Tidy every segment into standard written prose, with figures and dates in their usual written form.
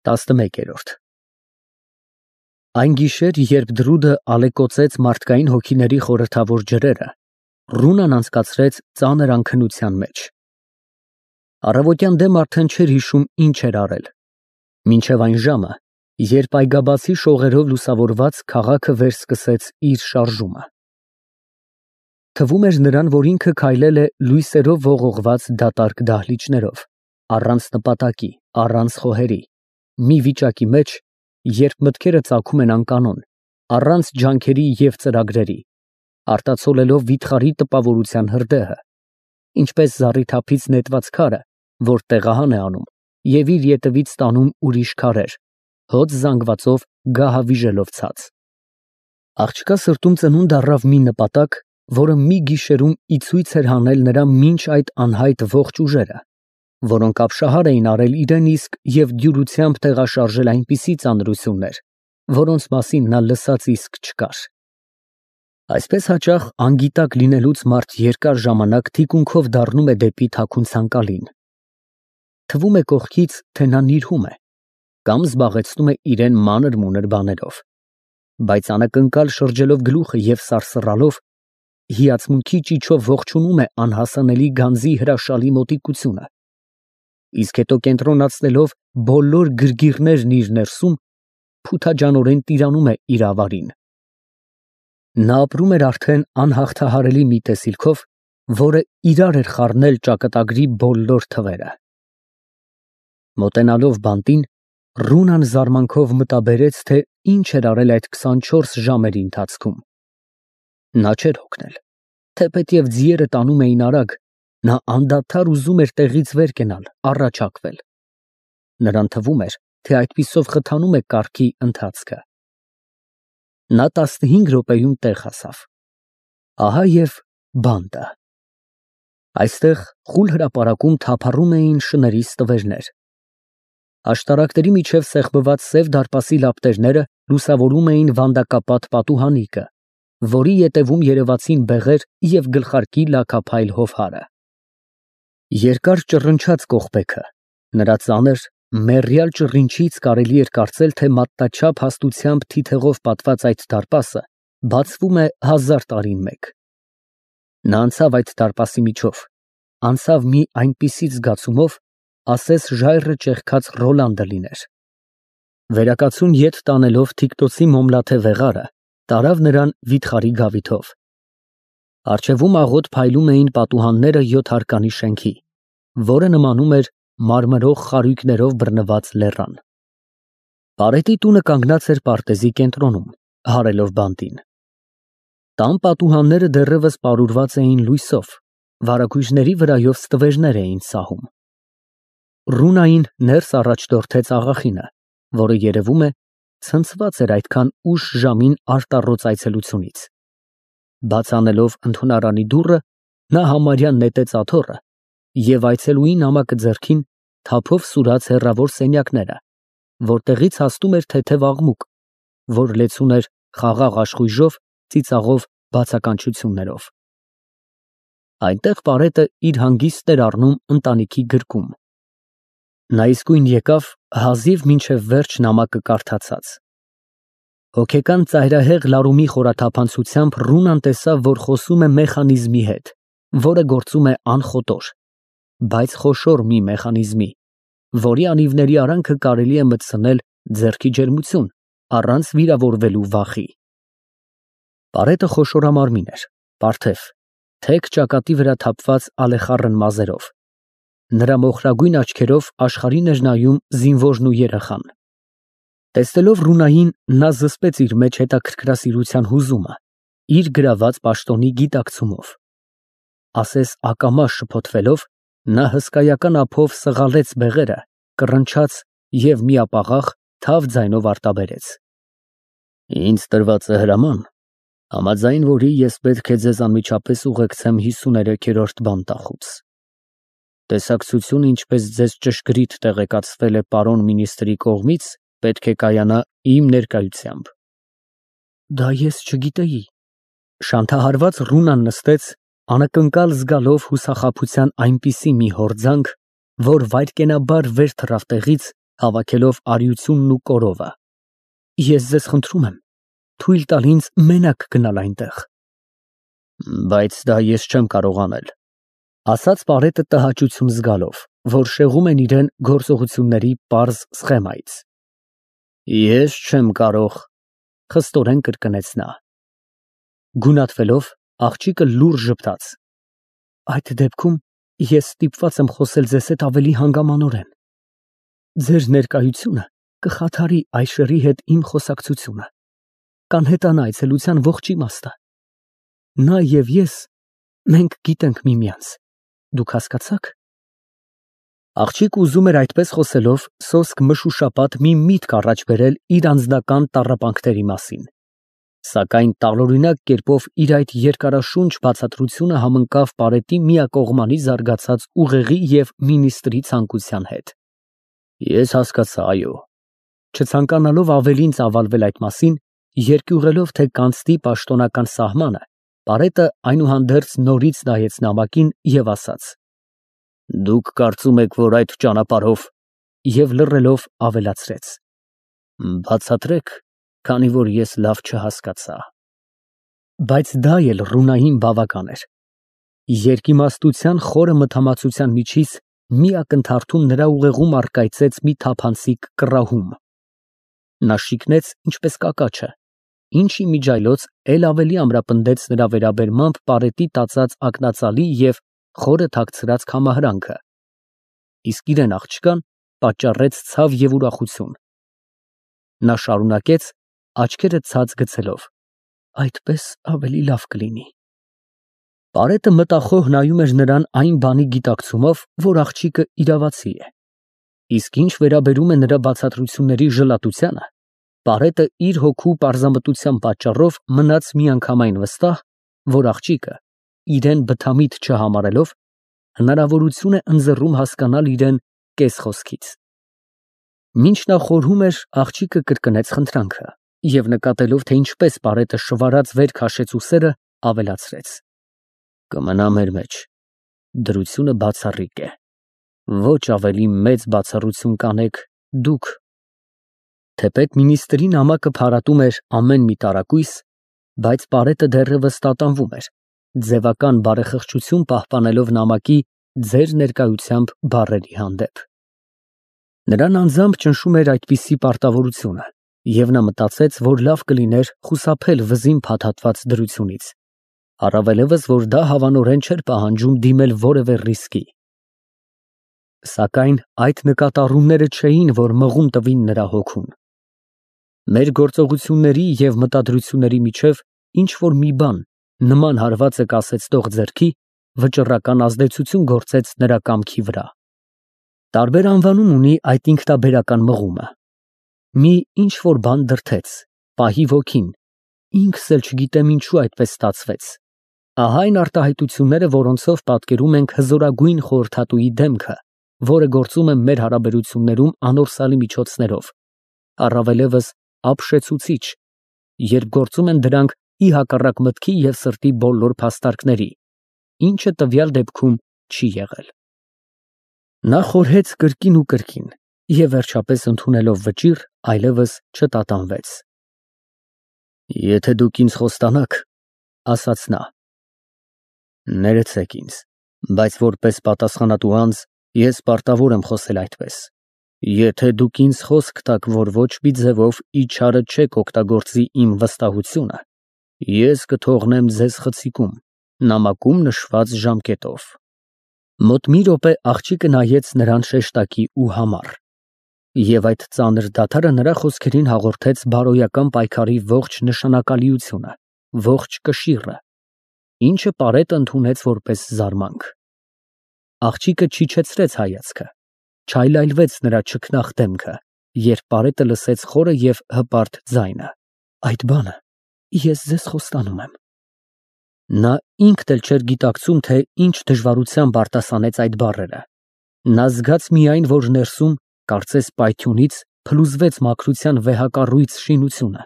11-րդ Այն գիշեր, երբ Դրուդը ալեկոծեց մարդկային հոգիների խորհրդավոր ջրերը, Ռունան անցկացրեց ծանր անքնության մեջ։ Առավոտյան դեմ արդեն չէր հիշում ինչ էր արել, մինչև այն ժամը, երբ այգաբացի շողերով լուսավորված քաղաքը վերսկսեց իր շարժումը։ Թվում էր նրան, որ ինքը քայլել է լույսերով ողողված դատարկ դահլիճներով, առանց նպատակի, առանց խոհերի, մի վիճակի մեջ, երբ մտքերը ծագում են անկանոն, առանց ջանքերի և ծրագրերի, արտացոլելով վիթխարի տպավորության հրդեհը, ինչպես զառիթափից նետված քարը, որ տեղահան է անում և իր ետևից տանում ուրիշ քարեր, հոծ զանգվածով գահավիժելով ցած։ Աղջկա սրտում ծնունդ առավ մի նպատակ, որը մի գիշերում ի ցույց էր հանել նրա մինչ այդ անհայտ ողջ ուժերը, որոնք ապշահար էին արել իրեն իսկ և դյուրությամբ տեղաշարժել այնպիսի ծանրություններ, որոնց մասին նա լսած իսկ չկար։ Այսպես հաճախ անգիտակ լինելուց մարդ երկար ժամանակ թիկունքով դառնում է դեպի թաքուն ցանկալին։ Թվում է կողքից, թե նա նիրհում է կամ զբաղեցնում է իրեն մանր-մունր բաներով, բայց անակնկալ շրջելով գլուխը և սարսռալով, հիացմունքի ճիչով ողջունում է անհասանելի գանձի հրաշալի մոտիկությունը, իսկ հետո կենտրոնացնելով բոլոր գրգիռներն իր ներսում, փութաջանորեն տիրանում է իր ավարին։ Նա ապրում էր արդեն անհաղթահարելի մի տեսիլքով, որը իրար էր խառնել ճակատագրի բոլոր թվերը։ Մոտենալով բանտին, Ռունան զարմանքով մտաբերեց, թե ինչ էր արել այդ 24 ժամերի ընթացքում։ Նա չէր հոգնել, թեպետև ձիերը տանում էին արագ, նա անդադար ուզում էր տեղից վեր կենալ, առաջարկվել։ Նրան թվում էր, թե այդպիսով խթանում է կառքի ընթացքը։ Նա 15 րոպեում տեղ հասավ։ Ահա և բանտը։ Այստեղ խուլ հրապարակում թափառում էին շների ստվերներ։ Աշտարակների միջև սեղմված սև դարպասի լապտերները լուսավորում էին վանդակապատ պատուհանիկը, որի ետևում երևացին բեղեր և գլխարկի լաքափայլ հովհարը։ Երկար ճռնչաց կողպեքը, նրա ծանր, մեռյալ ճռինչից կարելի էր կարծել, թե մատնաչափ հաստությամբ թիթեղով պատված այդ դարպասը բացվում է 1000 տարին մեկ։ Նա անցավ այդ դարպասի միջով, անցավ մի այնպիսի զգացումով, ասես ժայռը ճեղքած Ռոլանդը լիներ։ Վերակացուն ետ տանելով թիկնոցի մոմլաթե վեղարը, տարավ նրան վիթխարի գավիթով։ Առջևում աղոտ փայլում էին պատուհանները 7 հարկանի շենքի, որը նմանում էր մարմրող խարույկներով բռնված լեռան։ Պարետի տունը կանգնած էր պարտեզի կենտրոնում, հարելով բանտին։ Տան պատուհանները դեռևս պարուրված էին լույսով, վարագույրների վրայով ստվերներ էին սահում։ Ռունային ներս առաջորդեց աղախինը, որը երևում է ցնցված էր այդքան ուշ ժամին արտառոց այցելությունից։ Բաց անելով ընդունարանի դուռը, նա համարյա նետեց աթոռը և այցելուի նամակը ձեռքին թափով սուրաց հեռավոր սենյակները, որտեղից հասնում էր թեթև աղմուկ, որ լեցուն էր խաղաղ աշխույժով, ծիծաղով, բացականչություններով։ Այնտեղ պարետը իր հանգիստն էր առնում ընտանիքի գրկում։ Նա իսկույն եկավ, հազիվ մինչև վերջ նամակը կարդացած։ Հոգեկան ծայրահեղ լարումի խորաթափանցությամբ Ռունան տեսավ, որ խոսում է մեխանիզմի հետ, որը գործում է անխոտոր, բայց խոշոր մի մեխանիզմի, որի անիվների արանքը կարելի է մտցնել ձեռքի ջերմություն, առանց վիրավորվելու վախի։ Պարետը խոշորամարմին էր, պարթև, թեք ճակատի վրա թափված ալեխառն մազերով։ Նրա մոխրագույն աչքերով աշխարհին էր նայում զինվորն ու երեխան։ Տեսնելով Ռունային, նա զսպեց իր մեջ հետաքրքրասիրության հուզումը, իր գրաված պաշտոնի գիտակցումով։ Ասես ակամա շփոթվելով, նա հսկայական ափով սղալեց բեղերը, կռնչաց և միապաղաղ թավ ձայնով արտաբերեց. Ինձ տրված է հրաման, համաձայն որի ես պետք է ձեզ անմիջապես ուղեկցեմ 53-րդ բանտախուց։ Տեսակցությունը, ինչպես ձեզ ճշգրիտ տեղեկացվել է պարոն մինիստրի կողմից, պետք է կայանա իմ ներկայությամբ։ Դա ես չգիտեի։ Շանթահարված Ռունան նստեց, անակնկալ զգալով հուսախաբության այնպիսի մի հորձանք, որ վայրկենաբար վեր թռավ տեղից հավաքելով արիությունն ու կորովը։ Ես ձեզ խնդրում եմ, թույլ տալ ինձ մենակ գնալ այնտեղ։ Բայց դա ես չեմ կարող անել, ասաց Պարետը տհաճություն զգալով, որ շեղում են իրեն գործողությունների պարզ սխեմայից։ Ես չեմ կարող, խստորեն կրկնեց նա։ Գունատվելով, աղջիկը լուռ ժպտաց։ Այդ դեպքում ես ստիպված եմ խոսել ձեզ հետ ավելի հանգամանորեն։ Ձեր ներկայությունը կխաթարի Այշերի հետ իմ խոսակցությունը, կանհետանա այցելության ողջ իմաստը։ Նա եւ ես, մենք գիտենք միմյանց, դուք հասկացաք։ Աղջիկը ուզում էր այդպես խոսելով սոսկ մշուշապատ մի միտք առաջ բերել իր անձնական տառապանքների մասին, սակայն տարօրինակ կերպով իր այդ երկարաշունչ բացատրությունը համընկավ Պարետի միակողմանի զարգացած ուղեղի եւ մինիստրի ցանկության հետ։ Ես հասկացա, այո։ Չցանկանալով ավելին ծավալվել այդ մասին, երկյուղելով թե կանցնի պաշտոնական սահմանը, Պարետը այնուհանդերձ նորից նայեց նամակին եւ ասաց. Դուք կարծում եք, որ այդ ճանապարհով, եւ լռելով ավելացրեց. Բացատրեք, քանի որ ես լավ չհասկացա։ Բայց դա էլ Ռունային բավական էր։ Երկիմաստության խորը մթամացության միջից մի ակնթարթում նրա ուղեղում առկայծեց մի թափանցիկ կռահում։ Նա շիկնեց ինչպես կակաչը, ինչի միջայլոց էլ ավելի ամրապնդեց նրա վերաբերմամբ Պարետի տածած ակնածալի եւ խորը թաքցրած կամահրանքը, իսկ իրեն աղջկան պատճառեց ցավ եւ ուրախություն։ Նա շարունակեց, աչքերը ցած գցելով. Այդպես ավելի լավ կլինի։ Պարետը մտախոհ նայում էր նրան այն բանի գիտակցումով, որ աղջիկը իրավացի է։ Իսկ ինչ վերաբերում է նրա բացատրությունների ժլատությանը, Պարետը իր հոգու պարզամտության պատճառով մնաց միանգամայն վստահ, որ աղջիկը, իրեն բթամիտ չհամարելով, հնարավորություն է ընձեռում հասկանալ իրեն կես խոսքից։ Մինչ նա խորհում էր, աղջիկը կրկնեց խնդրանքը եւ նկատելով, թե ինչպես Պարետը շվարած վեր քաշեց ուսերը, ավելացրեց. Կմնա մեր մեջ, դրությունը բացառիկ է, ոչ ավելի մեծ բացառություն կանեք դուք։ Թեպետ մինիստրի նամակը փարատում էր ամեն մի տարակույս, բայց Պարետը դեռևս տատանվում էր, ձևական բարեխղճություն պահպանելով նամակի ձեր ներկայությամբ բառերի հանդեպ։ Նրան անձամբ ճնշում էր այդպիսի պարտավորությունը, եւ նա մտածեց, որ լավ կլիներ խուսափել վզին փաթաթված դրությունից, առավելևս, որ դա հավանորեն չէր պահանջում դիմել որևէ ռիսկի։ Սակայն այդ նկատառումները չէին, որ մղում տվին նրա հոգուն։ Մեր գործողությունների եւ մտադրությունների միջև ինչ որ մի բան, նման հարվածը կասեցնող ձեռքի, վճռական ազդեցություն գործեց նրա կամքի վրա։ Տարբեր անվանում ունի այդ ինքնաբերական մղումը։ Մի ինչ որ բան դրթեց, պահի ոգին, ինքս էլ չգիտեմ ինչու այդպես ստացվեց։ Ահա այն արտահայտությունները, որոնցով պատկերում ենք հզորագույն խորհրդատուի դեմքը, որը գործում է մեր հարաբերություններում անորսալի միջոցներով, առավելևս ապշեցուցիչ, երբ գործում են դրանք ի հակառակ մտքի եւ սրտի բոլոր փաստարկների, ինչը տվյալ դեպքում չի եղել։ Նա խորհեց կրկին ու կրկին եւ վերջապես ընդունելով վճիռ, այլևս չտատանվեց։ Եթե դուք ինձ խոստանաք, ասաց նա, ներեցեք ինձ, բայց որպես պատասխանատու անձ ես պարտավոր եմ խոսել այդպես։ Եթե դուք ինձ խոսք տաք, որ ոչ մի ձևով իչարը չեք օգտագործի իմ վստահությունը, ես կթողնեմ ձեզ խցիկում, նամակում նշված ժամկետով։ Մոտ մի րոպե աղջիկը նայեց նրան շեշտակի ու համառ, եւ այդ ծանր դադարը նրա խոսքերին հաղորդեց բարոյական պայքարի ողջ նշանակալիությունը, ողջ կշիռը, ինչը Պարետը ընդունեց որպես զարմանք։ Աղջիկը չիջեցրեց հայացքը, չայլայլվեց նրա չքնաղ դեմքը, երբ Պարետը լսեց խորը եւ հպարտ ձայնը. Այդ բանը ես ձեզ խոստանում եմ։ Նա ինքն էլ չէր գիտակցում, թե ինչ դժվարությամբ արտասանեց այդ բառերը։ Նա զգաց միայն, որ ներսում, կարծես պայթյունից, փլուզվեց մաքրության վեհակառույց շինությունը,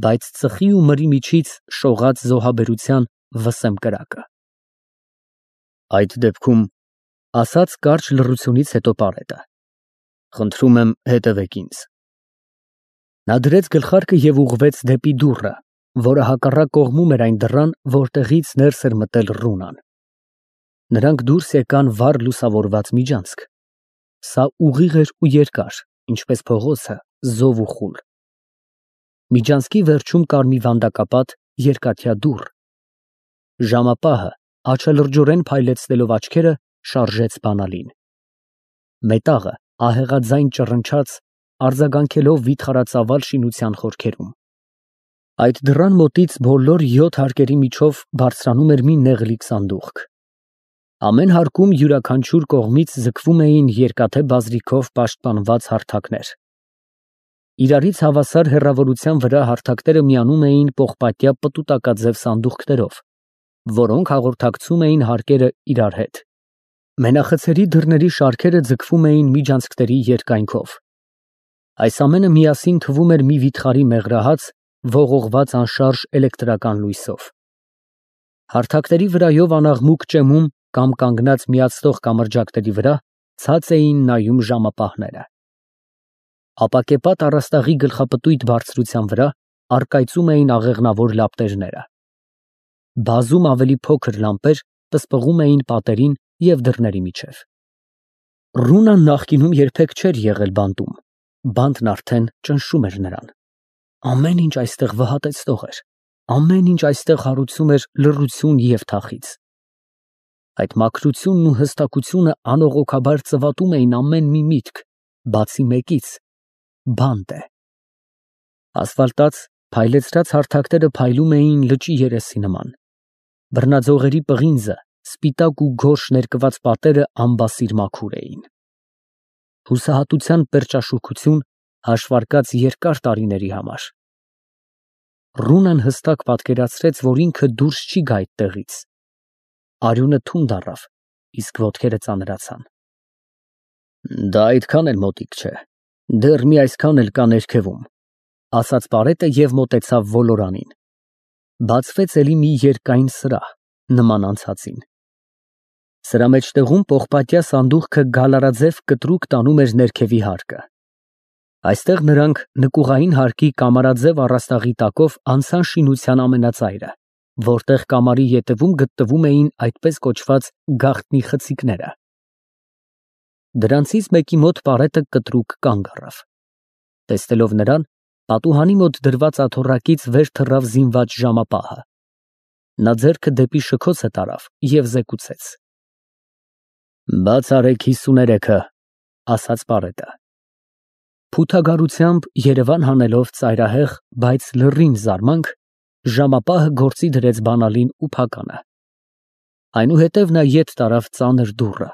բայց ծխի ու մրի միջից շողաց զոհաբերության վսեմ կրակը։ Այդ դեպքում, ասաց կարճ լռությունից հետո Պարետը, Խնդրում եմ հետևեք ինձ։ Նա դրեց գլխարկը և ուղղվեց դեպի դուռը, որը հակառակ կողմում էր այն դռան, որտեղից ներս էր մտել Ռունան։ Նրանք դուրս եկան վառ լուսավորված միջանցք։ Սա ուղիղ էր ու երկար, ինչպես փողոցը, զով ու խուլ։ Միջանցքի վերջում կար մի վանդակապատ, երկաթյա դուռ։ Ժամապահը, աչալրջորեն փայլեցնելով աչքերը, շարժեց բանալին։ Մետաղը ահեղաձայն ճռնչաց, արձագանքելով վիթխարածավալ շինության խորքերում։ Այդ դռան մոտից բոլոր 7 հարկերի միջով բարձրանում էր մի նեղլիկ սանդուղք։ Ամեն հարկում յուրաքանչյուր կողմից ձգվում էին երկաթե բազրիքով պաշտպանված հարթակներ։ Իրարից հավասար հեռավորության վրա հարթակները միանում էին պողպատյա պտուտակաձև սանդուղքներով, որոնք հաղորդակցում էին հարկերը իրար հետ։ Մենախցերի դռների շարքերը ձգվում էին միջանցքների երկայնքով։ Այս ամենը միասին թվում էր մի վիթխարի մեղրահաց, ողողված անշարժ էլեկտրական լույսով։ Հարթակների վրայով անաղմուկ ճեմում կամ կանգնած միացնող կամրջակների վրա ցած էին նայում ժամապահները։ Ապակեպատ առաստաղի գլխապտույտ բարձրության վրա առկայծում էին աղեղնավոր լապտերները։ Բազում ավելի փոքր լամպեր պսպղում էին պատերին և դռների միջև։ Ռունան նախկինում երբեք չէր եղել բանտում, բանտն արդեն ճնշում էր նրան։ Ամեն ինչ այստեղ վհատեցնող էր, ամեն ինչ այստեղ հարուցում էր լռություն և թախիծ։ Այդ մաքրությունն ու հստակությունը անողոքաբար ծվատում էին ամեն մի միտք, բացի մեկից՝ բանտ է։ Ասֆալտած, փայլեցրած հարթակները փայլում էին լճի երեսի նման։ Բռնաձողերի պղինձը, սպիտակ ու գորշ ներկված պատերը անբասիր մաքուր էին։ Հուսահատության պերճաշուքություն, հաշվարկած երկար տարիների համար։ Ռունան հստակ պատկերացրեց, որ ինքը դուրս չի գա այդտեղից։ Արյունը թունդ առավ, իսկ ոտքերը ծանրացան։ Դա այդքան էլ մոտիկ չէ, դեռ մի այսքան էլ կա ներքևում, ասաց պարետը և մոտեցավ ոլորանին։ Բացվեց էլի մի երկայն սրահ, նման անցածին։ Սրա մեջտեղում պողպատյա սանդուղքը գալարաձև կտրուկ տանում էր ներքևի հարկը։ Այստեղ նրանք նկուղային հարկի կամարաձև առաստաղի տակով անցան շինության ամենածայրը, որտեղ կամարի ետևում գտնվում էին այդպես կոչված գաղտնի խցիկները։ Դրանցից մեկի մոտ պարետը կտրուկ կանգ առավ։ Տեսնելով նրան, պատուհանի մոտ դրված աթոռակից վեր թռավ զինված ժամապահը։ Նա ձեռքը դեպի շքոցը տարավ և զեկուցեց. Բաց արեք 53-ը, ասաց պարետը։ Փութագարությամբ երևան հանելով ծայրահեղ, բայց լռին զարմանք, ժամապահը գործի դրեց բանալին ու փականը։ Այնուհետև նա ետ տարավ ծանր դուռը։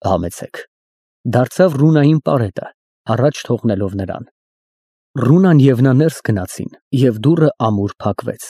Համեցեք, դարձավ Ռունային պարետը, առաջ թողնելով նրան։ Ռունան և նա ներս գնացին, և դուռը ամուր փակվեց։